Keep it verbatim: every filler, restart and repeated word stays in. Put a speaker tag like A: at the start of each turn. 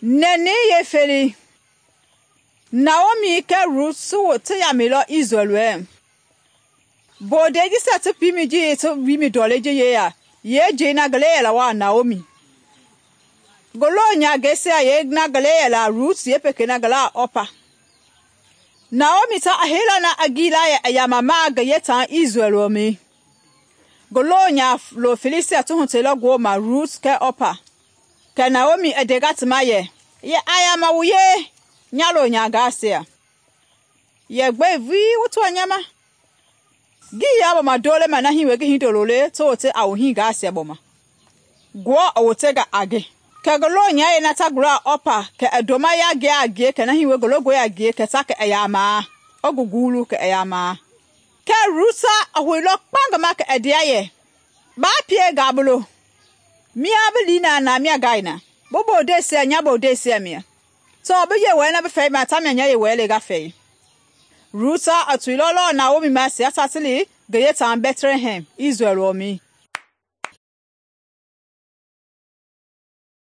A: Nɛnɛi yeefelei, Naomi kɛɛ Rut ti yamɛilɔ Isrɛl wɛlei. Bondɛi jisia ti piimɛi ji ti wiimi ndɔlei ji yeya yeejei na ngi lɛi yɛla waa Naomi. Ngi loonyangɛisia yeena ngi lɛi yɛla Rut yeepekei na ngi laa Ɔpa. Naomi ta i heilɔ na a gili yɛ i yamamaa ngi yeetaa Isrɛl wɔmɛi. Ngi loonyalo feleisia ti huteilɔ ngi wooma Rut kɛɛ Ɔpa. Kɛ Naomi i ndenga ti ma yɛ, “Yɛ a yama wu yee, nya loonyangɛisia. Yɛ gbɛe vulii wu tɔɔ nya ma? Ngii yaa gbɔma ndoo lema na hii wie ngi hindolo le ti wote a wu hingaisia gbɔma. Ngewɔ i wotenga a nge.” Kɛ ngi loonyayɛi na ta gulɔ a Ɔpa kɛ i ndoma yangɛi a ngie kɛ na hii wie ngi longɔe a ngie kɛ ta kɛ i yamaa, i ngi guulu kɛ i yamaa. Kɛɛ Rut i hoilɔ kpa ngi ma kɛ i ndea yɛ, “Baa pie nga bi lo, mia bi lii na na mia ngai na, bi bondeisia nya bondeisia mia. Tɔɔ bi Yewɔɛi na bi fɛima tamia nya Yewɔɛi le nga fɛi.” Rut i toilɔ lɔɔ Naomi ma sia ta ti li ngi yeetaa Bɛtlɛhɛm, Isrɛl lɔmɛi.